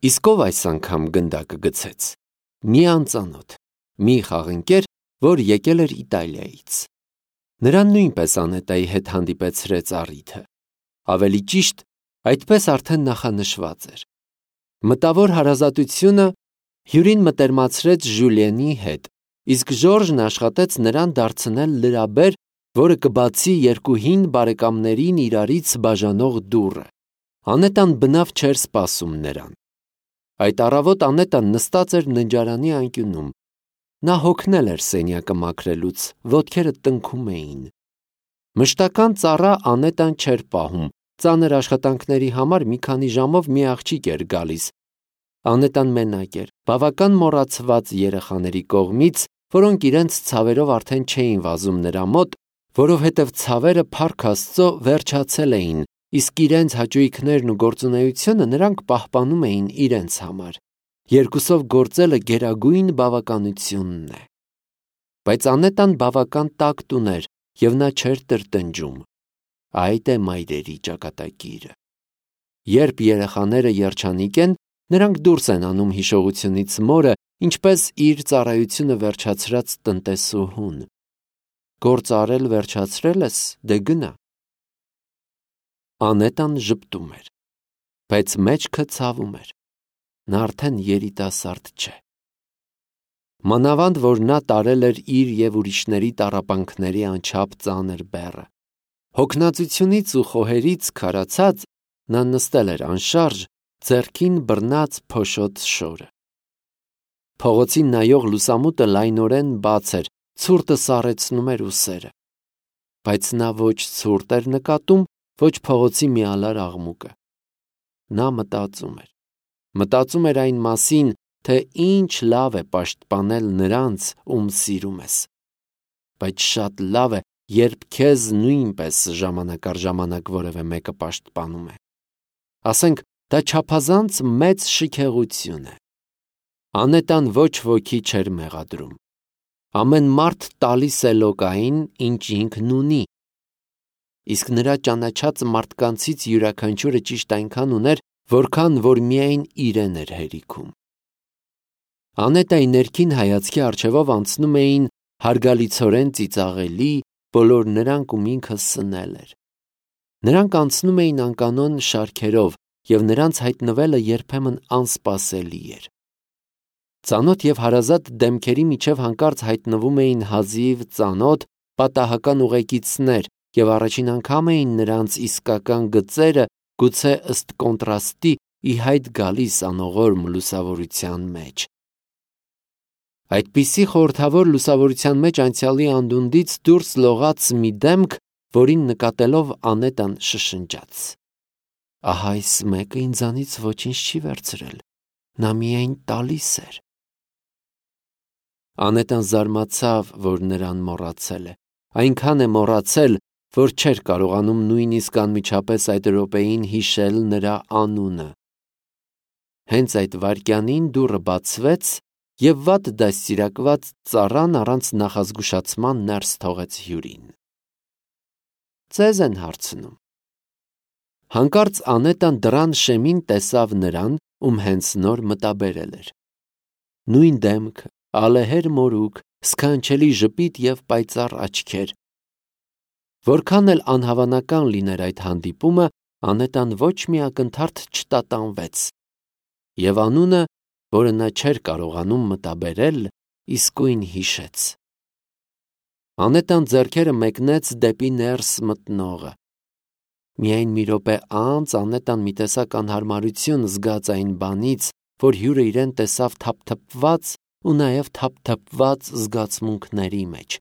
Իսկ ով այս անգամ գնդակը գցեց։ Մի անծանոթ, մի խաղընկեր, որ եկել էր Իտալիայից։ Նրան նույնպես Անետայի հետ հանդիպեցրեց առիթը։ Ավելի ճիշտ, այդպես արդեն նախանշված էր։ Մտավոր հարազատությունը հյուրին մտերմացրեց Ժուլիենի հետ, իսկ Ժորժն աշխատեց նրան դարձնել լրաբեր, որը կբացի երկու հին բարեկամներին իրարից բաժանող դուռը։ Անետան բնավ չէր սպասում նրան։ Այդ առավոտ Անետան նստած էր ննջարանի անկյունում։ Նա հոգնել էր սենյակը մաքրելուց, ոտքերը տնքում էին։ Մշտական ծառա Անետան չէր պահում, ծանր աշխատանքների համար մի քանի ժամով մի աղջիկ էր գալիս։ Անետան մենակ էր, բավական մոռացված երեխաների կողմից, որոնք իրենց ցավերով արդեն չէին վազում նրա մոտ, որովհետև ցավերը փառք Աստծո վերջացել էին, իսկ իրենց հաճույքներն ու գործունեությունը նրանք պահպանում էին իրենց համար։ Երկուսով գործելը գերագույն բավականությունն է։ Բայց Անետան բավական տակտ ուներ, և նա չէր տրտնջում։ Այդ է մայրերի ճակատագիրը։ Երբ երեխաները երջանիկ են, նրանք դուրս են անում հիշողությունից մորը, ինչպես իր ծառայությունը վերջացրած տնտեսուհուն։ Գործ արել վերջացրել ես, դե գնա։ Անետան ժպտում էր, բայց մեջքը ցավում էր։ Նա արդեն երիտասարդ չէ։ Մանավանդ, որ նա տարել էր իր և ուրիշների տառապանքների անչափ ծանր բեռը։ Հոգնածությունից ու խոհերից քարացած, նա նստել էր անշարժ, ձեռքին բռնած փոշոտ շորը։ Փողոցին նայող լուսամուտը լայնորեն բաց էր, ցուրտը սառեցնում էր ուսերը։ Բայց նա ոչ ցուրտ էր նկատում, ոչ փողոցի միալար աղմուկը։ Նա մտածում էր այն մասին, թե ինչ լավ է պաշտպանել նրանց, ում սիրում ես։ Բայց շատ լավ է, երբ քեզ նույնպես ժամանակ առ ժամանակ որևէ մեկը պաշտպանում է։ Ասենք, դա չափազանց մեծ շքեղություն է։ Անետան ոչ ոքի չէր մեղադրում։ Ամեն մարդ տալիս է լոկային, ինչ ինքն ունի։ Իսկ նրա ճանաչած մարդկանցից յուրաքանչյուրը ճիշտ այնքան ուներ, որքան որ միայն իրեն էր հերիքում։ Անետայի ներքին հայացքի առջևով անցնում էին հարգալիցորեն ծիծաղելի բոլոր նրանք, ում ինքը սնել էր։ Նրանք անցնում էին անկանոն շարքերով, և նրանց հայտնվելը երբեմն անսպասելի էր։ Ծանոթ և հարազատ դեմքերի միջև հանկարծ հայտնվում էին հազիվ ծանոթ պատահական ուղեկիցներ, և առաջին անգամ էին նրանց իսկական գծերը, գուցե ըստ կոնտրաստի, ի հայտ գալիս անողորմ լուսավորության մեջ։ Այդպիսի խորհրդավոր լուսավորության մեջ անցյալի անդունդից դուրս լողաց մի դեմք, որին նկատելով Անետան շշնջաց. «Ահա այս մեկը ինձանից ոչինչ չի վերցրել, նա միայն տալիս էր»։ Անետան զարմացավ, որ նրան մոռացել է, այնքան է մոռացել, որ չէր կարողանում նույնիսկ անմիջապես այդ րոպեին հիշել նրա անունը։ Հենց այդ վայրկյանին դուռը բացվեց, և վատ դաստիարակված ծառան առանց նախազգուշացման ներս թողեց հյուրին։ «Ձեզ են հարցնում»։ Հանկարծ Անետան դռան շեմին տեսավ նրան, ում հենց նոր մտաբերել էր։ Նույն դեմքը, ալեհեր մորուք, սքանչելի ժպիտ և պայծառ աչքեր։ Որքան էլ անհավանական լիներ այդ հանդիպումը, Անետան ոչ մի ակնթարթ չտատանվեց, և անունը, որը նա չէր կարողանում մտաբերել, իսկույն հիշեց։ Անետան ձեռքերը մեկնեց դեպի ներս մտնողը։ Միայն մի րոպե անց Անետան մի տեսակ անհարմարություն զգաց այն բանից, որ հյուրը իրեն տեսավ թափթփված ու նաև թափթփված զգացմունքների մեջ։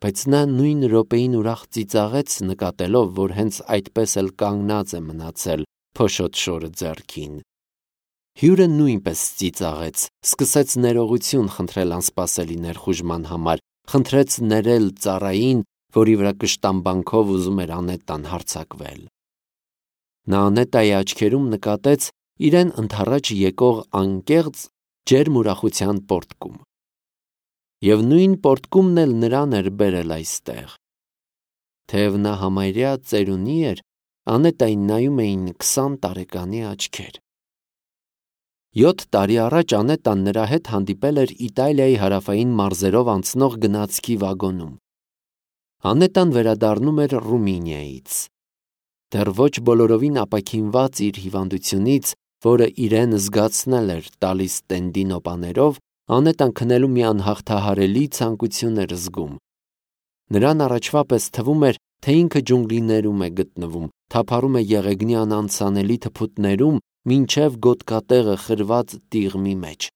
Բայց նա նույն րոպեին ուրախ ծիծաղեց, նկատելով, որ հենց այդպես էլ կանգնած է մնացել փոշոտ շորը ձեռքին։ Հյուրը նույնպես ծիծաղեց, սկսեց ներողություն խնդրել անսպասելի ներխուժման համար, խնդրեց ներել ծառային, որի վրա կշտամբանքով ուզում էր Անետան հարձակվել։ Նա Անետայի աչքերում նկատեց իրեն ընդառաջ եկող անկեղծ, ջերմ ուրախության պոռթկում։ Եվ նույն պոռթկումն էլ նրան էր բերել այստեղ։ Թեև նա համարյա ծերունի էր, Անետային նայում էին 20 տարեկանի աչքեր։ 7 տարի առաջ Անետան նրա հետ հանդիպել էր Իտալիայի հարավային մարզերով անցնող գնացքի վագոնում։ Անետան վերադառնում էր Ռումինիայից։ Դեռ ոչ բոլորովին ապաքինված իր հիվանդությունից, որը իրեն զգացնել էր տալիս տենդի նոպաներով, Անետան քնելու մի անհաղթահարելի ցանկություն էր զգում։ Նրան առաջվա պես թվում էր, թե ինքը ջունգլիներում է գտնվում, թափառում է եղեգնյան անցանելի թփուտներում, մինչև գոտկատեղը խրված տիղմի մեջ։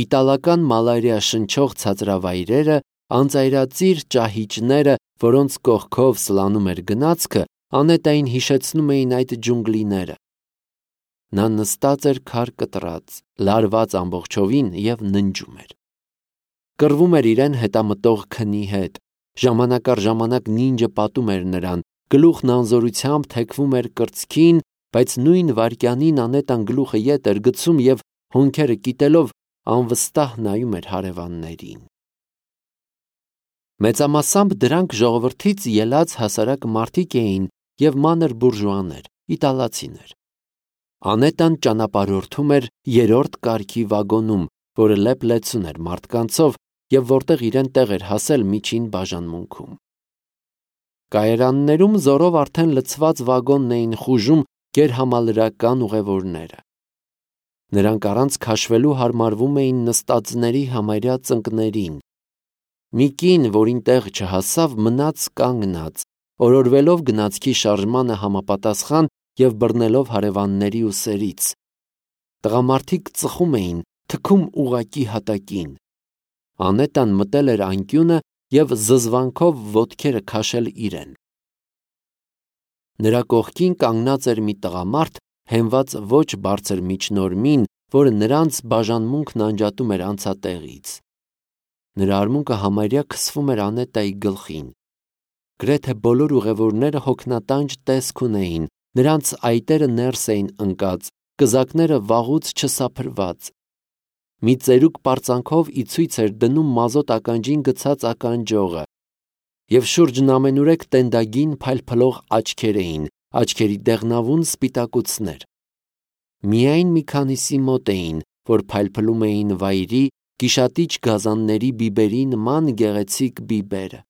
Իտալական մալարիա շնչող ցածրավայրերը, անծայրածիր ճահիճները, որոնց կողքով սլանում էր գնացքը, Անետային հիշեցնում էին այդ ջունգլիները։ Նա նստած էր քար կտրած, լարված ամբողջովին և ննջում էր։ Կռվում էր իրեն հետամտող քնի հետ։ Ժամանակ առ ժամանակ նինջը պատում էր նրան, գլուխն անզորությամբ թեքվում էր կրծքին, բայց նույն վայրկյանին Անետան գլուխը ետ էր գցում և հոնքերը կիտելով անվստահ նայում էր հարևաններին։ Մեծամասամբ դրանք ժողովրդից ելած հասարակ մարդիկ էին և մանր բուրժուաներ, իտալացիներ։ Անետան ճանապարհորդում էր 3-րդ կարգի վագոնում, որը լեփ-լեցուն էր մարդկանցով և որտեղ իրեն տեղ էր հասել միջին բաժանմունքում։ Կայարաններում զորով արդեն լցված վագոնն էին խուժում գերհամալրական ուղևորները։ Նրանք առանց քաշվելու հարմարվում էին նստածների համարյա ծնկներին։ Մի կին, որին տեղ չհասավ, մնաց կանգնած, օրորվելով գնացքի շարժմանը համապատասխան և բռնելով հարևանների ուսերից։ Տղամարդիկ ծխում էին, թքում ուղղակի հատակին։ Անետան մտել էր անկյունը և զզվանքով ոտքերը քաշել իրեն։ Նրա կողքին կանգնած էր մի տղամարդ, հենված ոչ բարձր միջնորմին, որը նրանց բաժանմունքն անջատում էր անցատեղից։ Նրա արմունկը համարյա քսվում էր Անետայի գլխին։ Գրեթե բոլոր ուղևորները հոգնատանջ տեսք ունեին, նրանց այտերը ներս էին ընկած, կզակները վաղուց չսափրված։ Մի ծերուկ պարծանքով ի ցույց էր դնում մազոտ ականջին գցած ականջողը, և շուրջն ամենուրեք տենդագին փայլփլող աչքեր էին, աչքերի դեղնավուն սպիտակուցներ։ Միայն մի քանիսի մոտ էին, որ փայլփլում էին վայրի, գիշատիչ գազանների բիբերի նման գեղեցիկ բիբերը։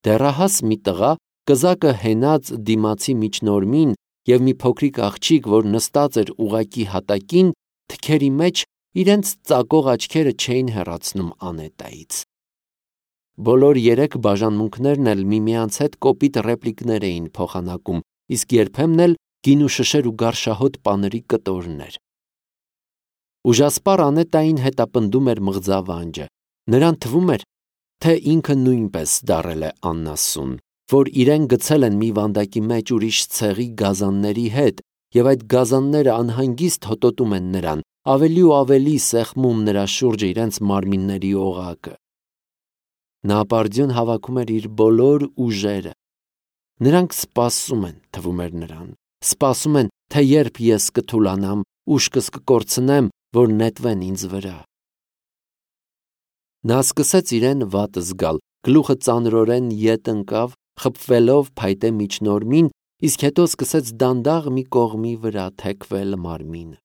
Դեռահաս մի տղա, կզակը հենած դիմացի միջնորմին, և մի փոքրիկ աղջիկ, որ նստած էր ուղղակի հատակին, թքերի մեջ իրենց ծակող աչքերը չէին հեռացնում Անետայից։ Բոլոր 3 բաժանմունքներն էլ միմյանց հետ կոպիտ ռեպլիկներ էին փոխանակում, իսկ երբեմն էլ գինուշշեր ու գարշահոտ պաների կտորներ։ Ուժասպառ Անետային հետապնդում էր մղձավանջը։ Նրան թվում էր, թե ինքը նույնպես դառել է անասուն, որ իրեն գցել են մի վանդակի մեջ ուրիշ ցեղի գազանների հետ, և այդ գազանները անհանգիստ հոտոտում են նրան, ավելի ու ավելի սեղմում նրա շուրջը իրենց մարմինների օղակը։ Նա ապարդյուն հավաքում էր իր բոլոր ուժերը։ Նրանք սպասում են, թվում էր նրան, սպասում են, թե երբ ես կթուլանամ, ուշքս կկորցնեմ, որ նետվեն ինձ վրա։ Նա սկսեց իրեն վատ զգալ, գլուխը ծանրորեն ետ ընկավ, խփվելով փայտե միջնորմին, իսկ հետո սկսեց դանդաղ մի կողմի վրա թեքվել մարմինը։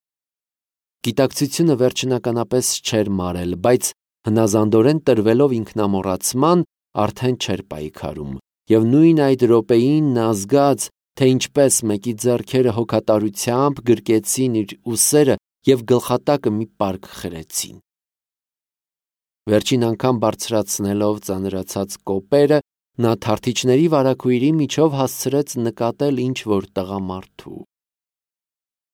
Գիտակցությունը վերջնականապես չէր մարել, բայց հնազանդորեն տրվելով ինքնամոռացման, արդեն չէր պայքարում, և նույն այդ րոպեին նա զգաց, թե ինչպես մեկի ձեռքերը հոգատարությամբ գրկեցին իր ուսերը և գլխատակը մի պարկ խրեցին։ Վերջին անգամ բարձրացնելով ծանրացած կոպերը, նա թարթիչների վարագույրի միջով հասցրեց նկատել ինչ-որ տղամարդու։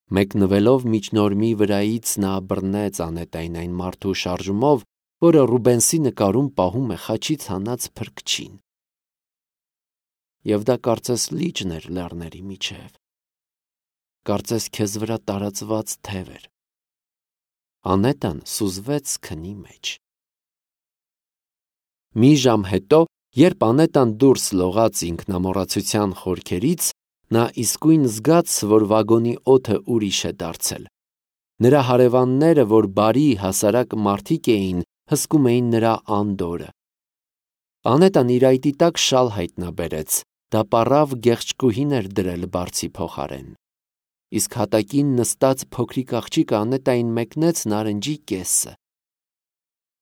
Մեկնվելով միջնորմի վրայից նա բռնեց Անետային այն մարդու շարժումով, որը Ռուբենսի նկարում պահում է խաչից հանած փրկչին։ Եվ դա կարծես լիճն էր լեռների միջև։ Կարծես քեզ վրա տարածված թև էր։ Անետան սուզվեց քնի մեջ։ Մի ժամ հետո, երբ Անետան դուրս լողաց ինքնամոռացության խորքերից, նա իսկույն զգաց, որ վագոնի օդը ուրիշ է դարձել։ Նրա հարևանները, որ բարի, հասարակ մարդիկ էին, հսկում էին նրա անդորրը։ Անետան իր այտի տակ շալ հայտնաբերեց, դա պառավ գեղչկուհին էր դրել բարձի փոխարեն։ իսկ հատակին նստած փոքրիկ աղջիկը Անետային մեկնեց նարնջի կեսը։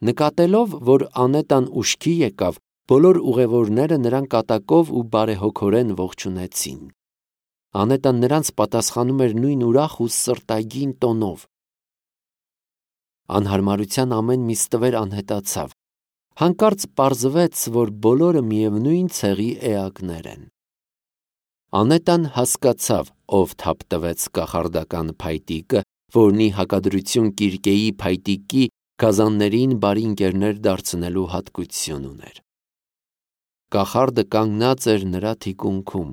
Նկատելով, որ Անետան ուշքի եկավ, բոլոր ուղևորները նրան կատակով ու բարեհոգորեն ողջունեցին։ Անետան նրանց պատասխանում էր նույն ուրախ ու սրտագին տոնով։ Անհարմարության ամեն մի ստվեր անհետացավ։ Հանկարծ պարզվեց, որ բոլորը միևնույն ցեղի էակներ են։ Անետան հասկացավ, ով թափ տվեց կախարդական փայտիկը, որն ի հակադրություն Կիրկեի փայտիկի գազաններին բարի ընկերներ դարձնելու հատկություն ուներ։ Կախարդը կանգնած էր նրա թիկունքում։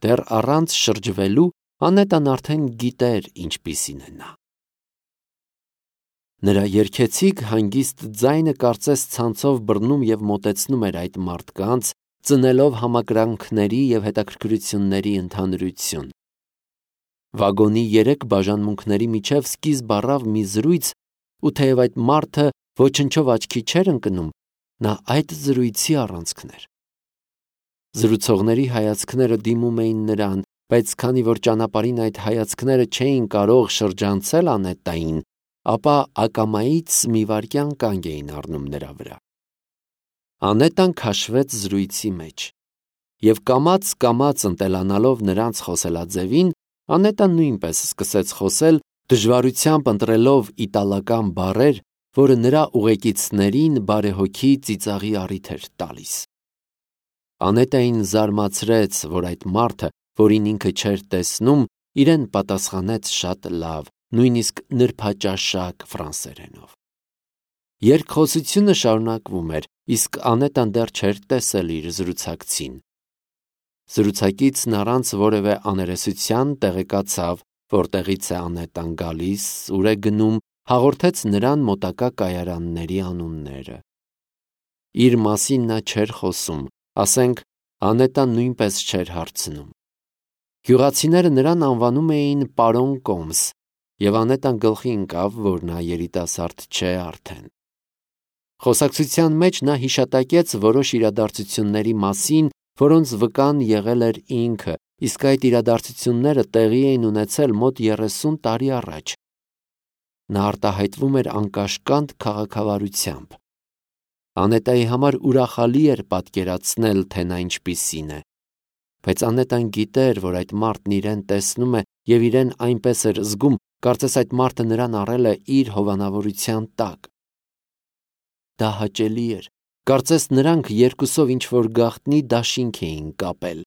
Դեռ առանց շրջվելու Անետան արդեն գիտեր ինչպիսին է նա։ Նրա երգեցիկ հանգիստ ձայնը կարծես ցանցով բռնում և մոտեցնում էր այդ մարդկանց, ծնելով համակրանքների և հետաքրքրությունների ընդհանրություն։ Վագոնի 3 բաժանմունքների միջև սկիզբ առավ մի զրույց, ու թեև այդ մարդը ոչնչով աչքի չէր ընկնում, նա այդ զրույցի առանցքն էր։ Զրուցողների հայացքները դիմում էին նրան, բայց քանի որ ճանապարհին այդ հայացքները չէին կարող շրջանցել Անետային, ապա ակամայից մի վայրկյան կանգ էին առնում նրա վրա։ Անետան քաշվեց զրույցի մեջ, և կամաց ընտելանալով նրանց խոսելաձևին, Անետան նույնպես սկսեց խոսել, դժվարությամբ ընտրելով իտալական բառեր, որը նրա ուղեկիցներին բարեհոգի ծիծաղի առիթ էր տալիս։ Անետային զարմացրեց, որ այդ մարդը, որին ինքը չէր տեսնում, իրեն պատասխանեց շատ լավ, նույնիսկ նրբաճաշակ ֆրանսերենով։ Երկխոսությունը շարունակվում էր, իսկ Անետան դեռ չէր տեսել իր զրուցակցին։ Զրուցակիցն առանց որևէ աներեսության տեղեկացավ, որտեղից է Անետան գալիս, ուր է գնում, հաղորդեց նրան մոտակա կայարանների անունները։ Իր մասին նա չէր խոսում, ասենք Անետան նույնպես չէր հարցնում։ Գյուղացիները նրան անվանում էին պարոն Կոմս, և Անետան գլխի ընկավ, որ նա երիտասարդ չէ արդեն։ Խոսակցության մեջ նա հիշատակեց որոշ իրադարձությունների մասին, որոնց վկան եղել էր ինքը, իսկ այդ իրադարձությունները տեղի էին ունեցել մոտ 30 տարի առաջ։ Նա արտահայտվում էր անկաշկանդ քաղաքավարությամբ։ Անետայի համար ուրախալի էր պատկերացնել, թե նա ինչպիսին է, բայց Անետան գիտեր, որ այդ մարդն իրեն տեսնում է և իրեն այնպես էր զգում, կարծես այդ մարդը նրան առել է իր հովանավորության տակ։ Դա հաճելի էր, կարծես նրանք երկուսով ինչ-որ գաղտնի դաշինք էին կապել։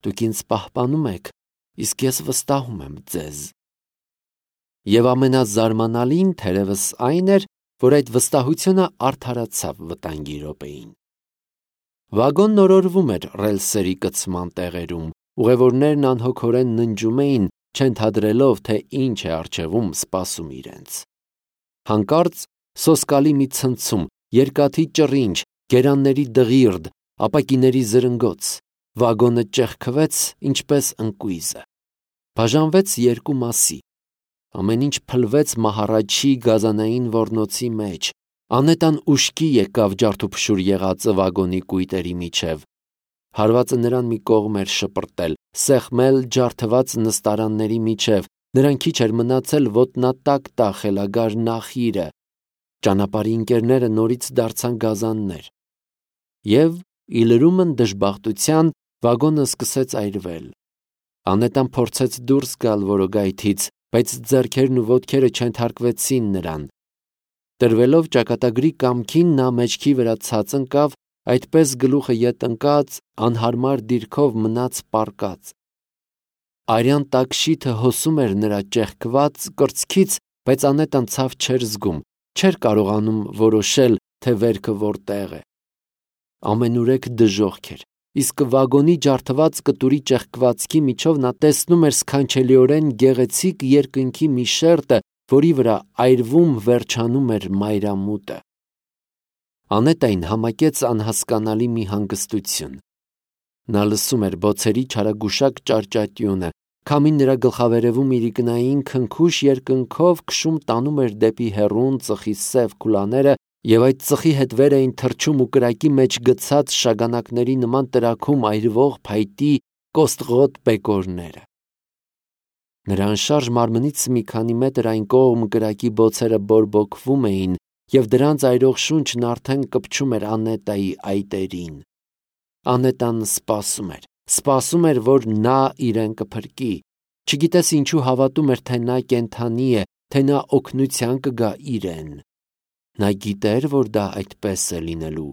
Դուք ինձ պահպանում եք, իսկ ես վստահում եմ ձեզ։ Եվ ամենազարմանալին թերևս այն էր, որ այդ վստահությունը արդարացավ վտանգի րոպեին։ Վագոնն օրորվում էր ռելսերի կցման տեղերում, ուղևորներն անհոգորեն ննջում էին, չընդհատելով, թե ինչ է առջևում սպասում իրենց։ Հանկարծ սոսկալի մի ցնցում, երկաթի ճռինչ, գերանների դղիրդ, ապակիների զրնգոց, վագոնը ճեղքվեց, ինչպես ընկույզը։ Բաժանվեց երկու մասի։ Ամեն ինչ փլվեց մահառաչի գազանային ոռնոցի մեջ։ Անետան ուշքի եկավ ջարդուփշուր եղածը վագոնի կույտերի միջև։ Հարվածը նրան մի կողմ էր շպրտել, սեղմել ջարդված նստարանների միջև, նրան քիչ էր մնացել ոտնատակ տա խելագար նախիրը։ Ճանապարհի ընկերները նորից դարձան գազաններ։ Եվ, ի լրումն դժբախտության, վագոնը սկսեց այրվել։ Անետան փորձեց դուրս գալ որոգայթից, բայց ձեռքերն ու ոտքերը չենթարկվեցին նրան։ Տրվելով ճակատագրի կամքին, նա մեջքի վրա ցած ընկավ, այդպես գլուխը ետ ընկած, անհարմար դիրքով մնաց պառկած։ Արյան տակշիթը հոսում էր նրա ճեղքված կրծքից, բայց Անետան ցավ չէր զգում, չէր կարողանում որոշել, թե վերքը որտեղ է։ Ամենուրեք դժոխք էր, իսկ վագոնի ջարդված կտուրի ճեղքվածքի միջով նա տեսնում էր սքանչելիորեն գեղեցիկ երկնքի մի շերտը, որի վրա այրվում վերջանում էր մայրամուտը։ Անետային համակեց անհասկանալի մի հանգստություն։ Նա լսում էր բոցերի չարագուշակ ճարճատյունը, քամին նրա գլխավերևում իրիկնային քնքուշ երկնքով քշում տանում էր դեպի հեռուն ծխի սև քուլաները, և այդ ծխի հետ վեր էին թռչում ու կրակի մեջ գցած շագանակների նման տրաքում այրվող փայտի կոստղոտ բեկորները։ Նրա անշարժ մարմնից մի քանի մետր այն կողմ կրակի բոցերը բորբոքվում էին, և դրանց այրող շունչն արդեն կպչում էր Անետայի այտերին։ Անետան սպասում էր, որ նա իրեն կփրկի։ Չգիտես ինչու հավատում էր, թե նա կենդանի է, թե նա օգնության կգա իրեն։ Նա գիտեր, որ դա այդպես է լինելու,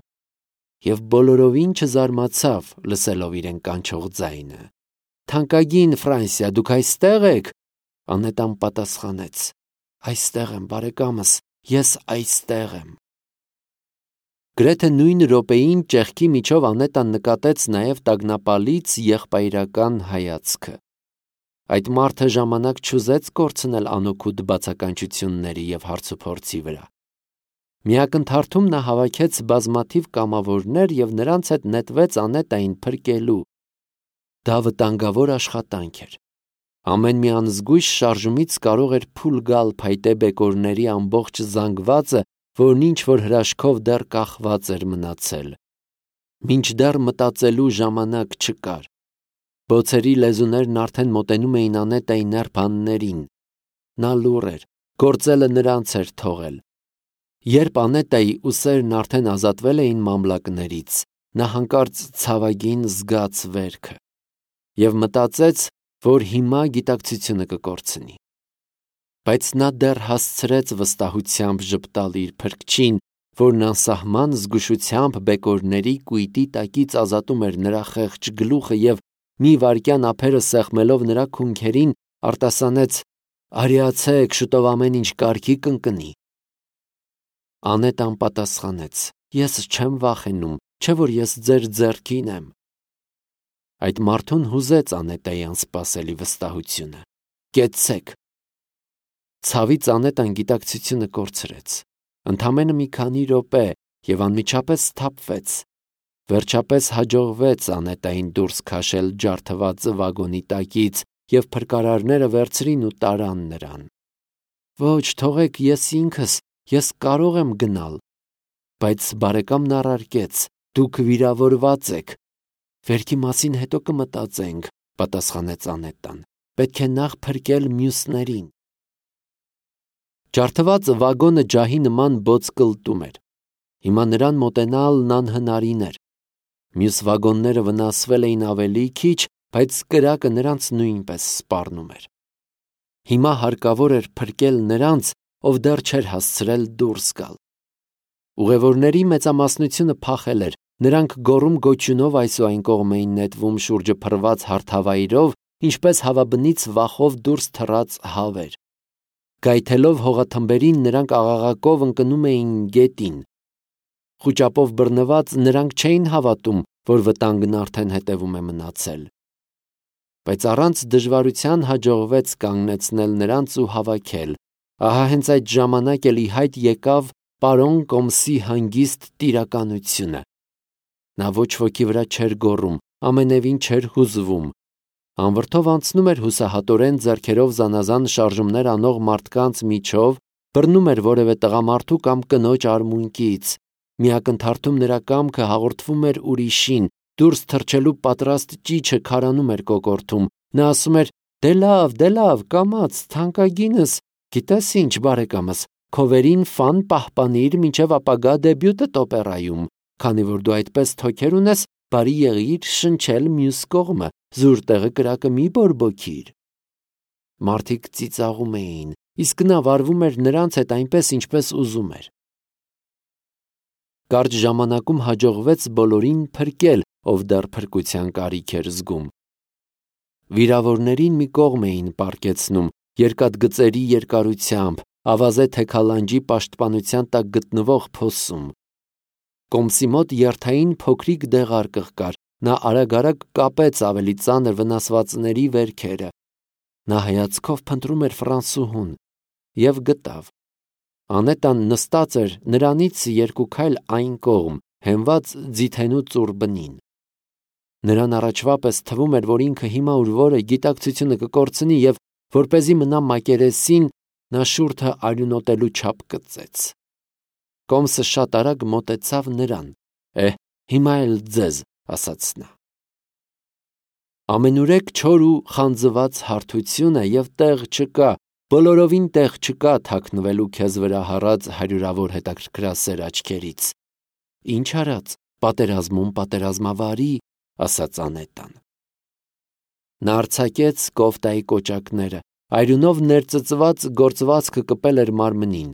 և բոլորովին չզարմացավ, լսելով իրեն կանչող ձայնը։ «Թանկագին Ֆրանսիա, դուք այստե՞ղ եք»։ Անետան պատասխանեց. «Այստեղ եմ, բարեկամս, ես այստեղ եմ»։ Գրեթե նույն րոպեին ճեղքի միջով Անետան նկատեց նաև տագնապալից եղբայրական հայացքը։ Այդ մարդը ժամանակ չուզեց կորցնել անօգուտ բացականչությունների և հարցուփորձի վրա։ Միակնթարթում նա հավաքեց բազմաթիվ կամավորներ և նրանց հետ նետվեց Անետային փրկելու։ Դա վտանգավոր աշխատանք էր։ Ամեն մի անզգույշ շարժումից կարող էր փուլ գալ փայտե բեկորների ամբողջ զանգվածը, որն ինչ-որ հրաշքով դեռ կախված էր մնացել։ Մինչդեռ մտածելու ժամանակ չկար։ Բոցերի լեզուներն արդեն մոտենում էին Անետայի նրբաններին։ Նա լուռ էր, գործելը նրանց էր թողել։ Երբ Անետայի ուսերն արդեն ազատվել էին մամլակներից, նա հանկարծ ցավագին զգաց վերքը և մտածեց, որ հիմա գիտակցությունը կկորցնի։ Բայց նա դեռ հասցրեց վստահությամբ ժպտալ իր փրկչին, որն անսահման զգուշությամբ բեկորների կույտի տակից ազատում էր նրա խեղճ գլուխը և մի վայրկյան ափերը սեղմելով նրա քունքերին արտասանեց. «Արիացեք, շուտով ամեն ինչ կարգի կընկնի»։ Անետան պատասխանեց. «Ես չեմ վախենում, չէ՞ որ ես ձեր ձեռքին եմ»։ Այդ մարդուն հուզեց Անետայի անսպասելի վստահությունը։ «Կեցցեք»։ Ցավից Անետան գիտակցությունը կորցրեց։ Ընդամենը մի քանի րոպե, և անմիջապես սթափվեց։ Վերջապես հաջողվեց Անետային դուրս քաշել ջարդված վագոնի տակից, և փրկարարները վերցրին ու տարան նրան։ «Ոչ, թողեք, ես կարող եմ գնալ»։ Բայց բարեկամն առարկեց. «Դուք վիրավորված եք»։ «Վերքի մասին հետո կմտածենք», պատասխանեց Անետան։ «Պետք է նախ փրկել մյուսներին»։ Ջարդված վագոնը ջահի նման բոց կլտում էր։ Հիմա նրան մոտենալն անհնարին էր։ Մյուս վագոնները վնասվել էին ավելի քիչ, բայց կրակը նրանց նույնպես սպառնում էր։ Հիմա հարկավոր էր փրկել նրանց, ով դեռ չէր հասցրել դուրս գալ։ Ուղևորների մեծամասնությունը փախել էր։ Նրանք գոռում-գոչյունով այս ու այն կողմ էին նետվում շուրջը փռված հարթավայրով, ինչպես հավաբնից վախով դուրս թռած հավեր։ Գայթելով հողաթմբերին, նրանք աղաղակով ընկնում էին գետին։ Խուճապով բռնված՝ նրանք չէին հավատում, որ վտանգն արդեն հետևում է մնացել։ Բայց առանց դժվարության հաջողվեց կանգնեցնել նրանց ու հավաքել։ Ահա հենց այդ ժամանակ էլ ի հայտ եկավ պարոն Կոմսի հանգիստ տիրականությունը։ Նա ոչ ոքի վրա չէր գոռում, ամենևին չէր հուզվում։ Անվրդով անցնում էր հուսահատորեն ձեռքերով զանազան շարժումներ անող մարդկանց միջով, բռնում էր որևէ տղամարդու կամ կնոջ արմունկից։ Միակնթարթում նրա կամքը հաղորդվում էր ուրիշին, դուրս թռչելու պատրաստ ճիչը քարանում էր կոկորդում։ Նա ասում էր. «Դե լավ, կամաց, թանկագինս, գիտես ինչ, բարեկամս, քո վերին ֆան պահպանիր մինչև ապագա դեբյուտդ օպերայում, քանի որ դու այդպես թոքեր ունես, բարի եղիր շնչել մյուս կողմը, զուր տեղը կրակը մի բորբոքիր»։ Մարդիկ ծիծաղում էին, իսկ նա վարվում էր նրանց հետ այնպես, ինչպես ուզում էր։ Կարճ ժամանակում հաջողվեց բոլորին փրկել, ով դեռ փրկության կարիք էր զգում։ Վիրավորներին մի կողմ էին պառկեցնում, երկաթգծերի երկարությամբ, ավազե թեքալանջի պաշտպանության տակ գտնվող փոսում։ Կոմսի մոտ երթային փոքրիկ դեղարկղ կար։ Նա արագ կապեց ավելի ծանր վնասվածների վերքերը։ Նա հայացքով փնտրում էր ֆրանսուհուն և գտավ։ Անետան նստած էր նրանից երկու քայլ այն կողմ, հենված ձիթենու ծուռ բնին։ Նրան առաջվա պես թվում էր, որ ինքը հիմա ուր որը գիտակցությունը կկորցնի և, որպեսզի մնա մակերեսին, նա շուրթը արյունոտելու չափ կծեց։ Կոմսը շատ արագ մոտեցավ նրան։ «Հիմա էլ ձեզ», ասաց նա։ Ամենուրեք չոր ու խանձված հարթությունը և տեղ չկա, բոլորովին տեղ չկա թաքնվելու քեզ վրա հառած հարյուրավոր հետաքրքրասեր աչքերից։ Ինչ արած, պատերազմում պատերազմավարի, ասաց Անետան։ Նա արձակեց կոֆտայի կոճակները, այրունով ներծծված գործվածքը կպել էր մարմնին։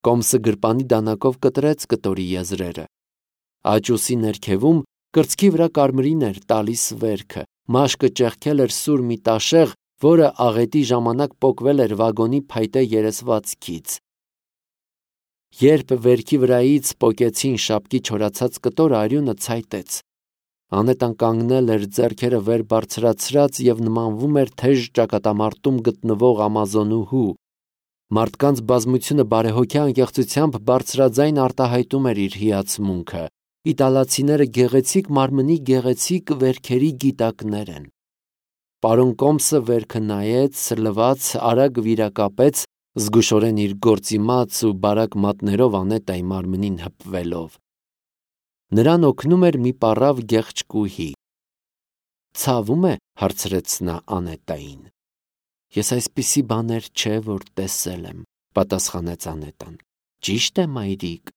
Կոմսը գրպանի դանակով կտրեց կտորի եզրերը։ Աջ ուսի ներքևում կրծքի վրա կարմիրին էր տալիս վերքը, մաշկը ճեղքել էր սուր մի տաշեղ, որը աղետի ժամանակ պոկվել էր վագոնի փայտե երեսվածքից։ Երբ վերքի վրայից պոկեցին շապկի չորացած կտորը, արյունը ցայտեց։ Անետան կանգնել էր ձեռքերը վեր բարձրացրած և նմանվում էր թեժ ճակատամարտում գտնվող ամազոնուհու։ Մարդկանց բազմությունը բարեհոգյա անկեղծությամբ բարձրաձայն արտահայտում էր իր հիացմունքը։ Իտալացիները գեղեցիկ մարմնի գեղեցիկ վերքերի գիտակներ են։ Պարոն Կոմսը վերքը նայեց, լվաց, արագ վիրակապեց, զգուշորեն իր գործիմաց ու բարակ մատներով Անետայի մարմնին հպվելով։ Նրան օգնում էր մի պառավ գեղչկուհի։ «Ցավում է», հարցրեց նա Անետային։ «Ես այսպիսի բաներ չէ, որ տեսել եմ», պատասխանեց Անետան։ «Ճիշտ է, մայրիկ»։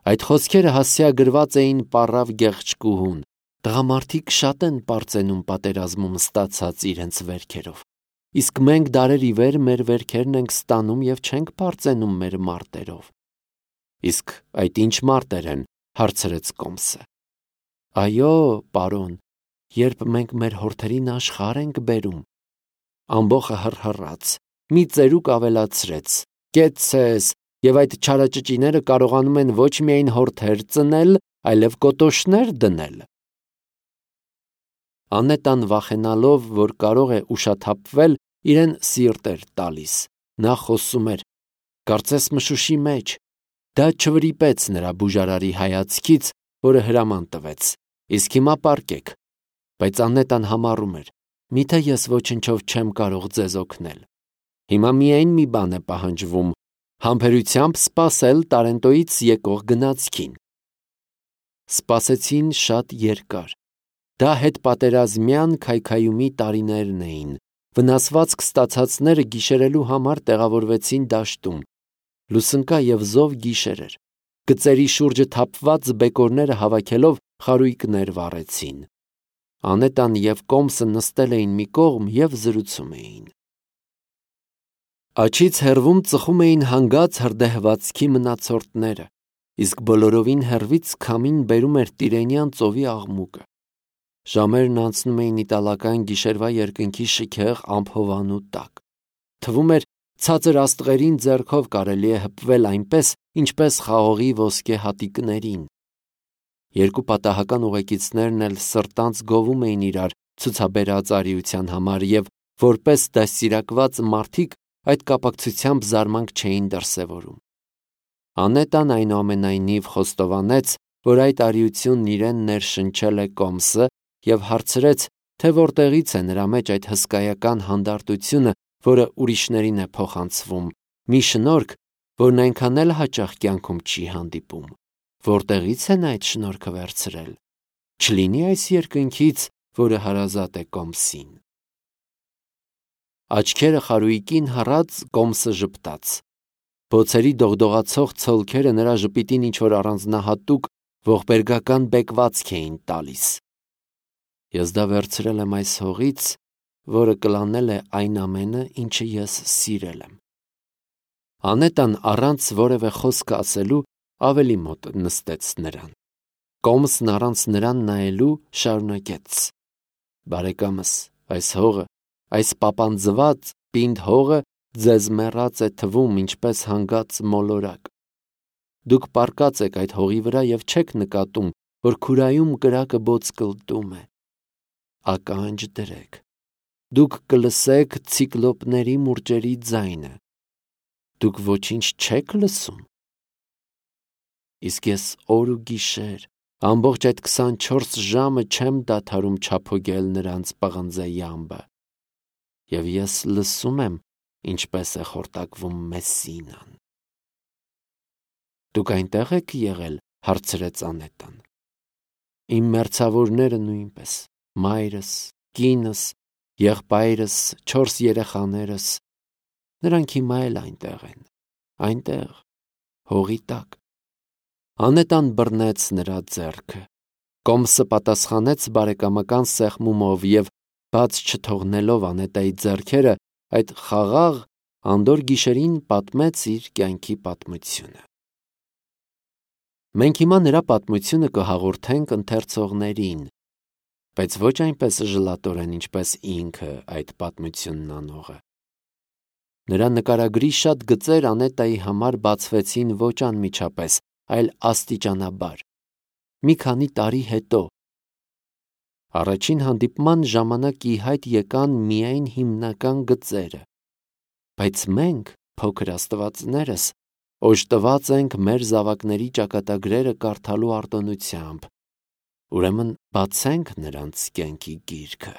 Այդ խոսքերը հասցեագրված էին պառավ գեղչկուհուն։ Տղամարդիկ շատ են պարծենում պատերազմում ստացած իրենց վերքերով, իսկ մենք դարեր ի վեր մեր վերքերն ենք ստանում և չենք պարծենում մեր մարտերով։ Իսկ այդ ինչ մարտեր են, հարցրեց Կոմսը։ Այո, պարոն, երբ մենք մեր հորթերին աշխարհ ենք բերում։ Ամբոխը հռհռաց, մի ծերուկ ավելացրեց. կեցցես, և այդ չարաճճիները կարողանում են ոչ միայն հորթեր ծնել, այլև կոտոշներ դնել։ Անետան վախենալով, որ կարող է ուշաթափվել, իրեն սիրտ էր տալիս։ Նա խոսում էր, կարծես մշուշի մեջ։ Դա չվրիպեց նրա բուժարարի հայացքից, որը հրաման տվեց. իսկ հիմա պառկեք։ Բայց Անետան համառում էր. միթե ես ոչնչով չեմ կարող ձեզ օգնել։ Հիմա միայն մի բան է պահանջվում. համբերությամբ սպասել Տարենտոյից եկող գնացքին։ Սպասեցին շատ երկար։ Դա հետպատերազմյան քայքայումի տարիներն էին։ Վնասվածք ստացածները գիշերելու համար տեղավորվեցին դաշտում։ Լուսնկա և զով գիշեր էր։ Գծերի շուրջը թափված բեկորները հավաքելով խարույկներ վառեցին։ Անետան և Կոմսը նստել էին մի կողմ և զրուցում էին։ Աջից հեռվում ծխում էին հանգած հրդեհվածքի մնացորդները, իսկ բոլորովին հեռվից քամին բերում էր Տիրենյան ծովի աղմուկը։ Ժամերն անցնում էին իտալական գիշերվա երկնքի շքեղ ամփովանու տակ։ Թվում էր, ցածր աստղերին ձեռքով կարելի է հպվել այնպես, ինչպես խաղողի ոսկե հատիկներին։ Երկու պատահական ուղեկիցներն էլ սրտանց գովում էին իրար ցուցաբերած արիության համար և որպես դաստիարակված մարդիկ այդ կապակցությամբ զարմանք չէին դրսևորում։ Անետան այնուամենայնիվ խոստովանեց, որ այդ արիությունն իրեն ներշնչել է Կոմսը և հարցրեց, թե որտեղից է նրա մեջ այդ հսկայական հանդարտությունը, որը ուրիշներին է փոխանցվում, մի շնորհք, որն այնքան էլ հաճախ կյանքում չի հանդիպում։ Որտեղից է նա այդ շնորհքը վերցրել։ Չլինի այս երկնքից, որը հարազատ է Կոմսին։ Աչքերը խարույկին հառած Կոմսը ժպտաց։ Բոցերի դողդողացող ցոլքերը նրա ժպիտին ինչ-որ առանձնահատուկ ողբերգական բեկվածք էին տալիս։ Ես դա վերցրել եմ այս հողից, որը կլանել է այն ամենը, ինչը ես սիրել եմ։ Անետան առանց որևէ խոսք ասելու ավելի մոտ նստեց նրան։ Կոմսն առանց նրան նայելու շարունակեց. Բարեկամս, այս հողը, այս պապանձված պինդ հողը ձեզ մեռած է թվում ինչպես հանգած մոլորակ։ Դուք պառկած եք այդ հողի վրա և չեք նկատում, որ քուրայում կրակը բոծկլտում է։ Ականջ դրեք։ Դուք կլսեք ցիկլոպների մուրճերի ձայնը։ Դուք ոչինչ չեք լսում։ Իսկ ես օր ու գիշեր, ամբողջ այդ 24 ժամը չեմ դադարում չափոգել նրանց պղնձե յամբը։ Եվ ես լսում եմ, ինչպես է խորտակվում Մեսսինան։ Դուք այնտեղ եք եղել, հարցրեց Անետան։ Իմ մերձավորները նույնպես, մայրս, կինս, եղբայրս, 4 երեխաներս, նրանք հիմա էլ այնտեղ են, այնտեղ, հողի տակ։ Անետան բռնեց նրա ձեռքը, Կոմսը պատասխանեց բարեկամական սեղմումով և բաց չթողնելով Անետայի ձեռքերը, այդ խաղաղ անդոր գիշերին պատմեց իր կյանքի պատմությունը։ Մենք հիմա նրա պատմությունը կհաղորդենք ընթերցողներին, բայց ոչ այնպես ժլատորեն, ինչպես ինքը այդ պատմությունն անողը։ Նրա նկարագրի շատ գծեր Անետայի համար բացվեցին ոչ անմիջապես, այլ աստիճանաբար, մի քանի տարի հետո։ Առաջին հանդիպման ժամանակ ի հայտ եկան միայն հիմնական գծերը, բայց մենք, փոքր աստվածներս, օժտված ենք մեր զավակների ճակատագրերը կարդալու արտոնությամբ, ուրեմն բացենք նրանց կյանքի գիրքը։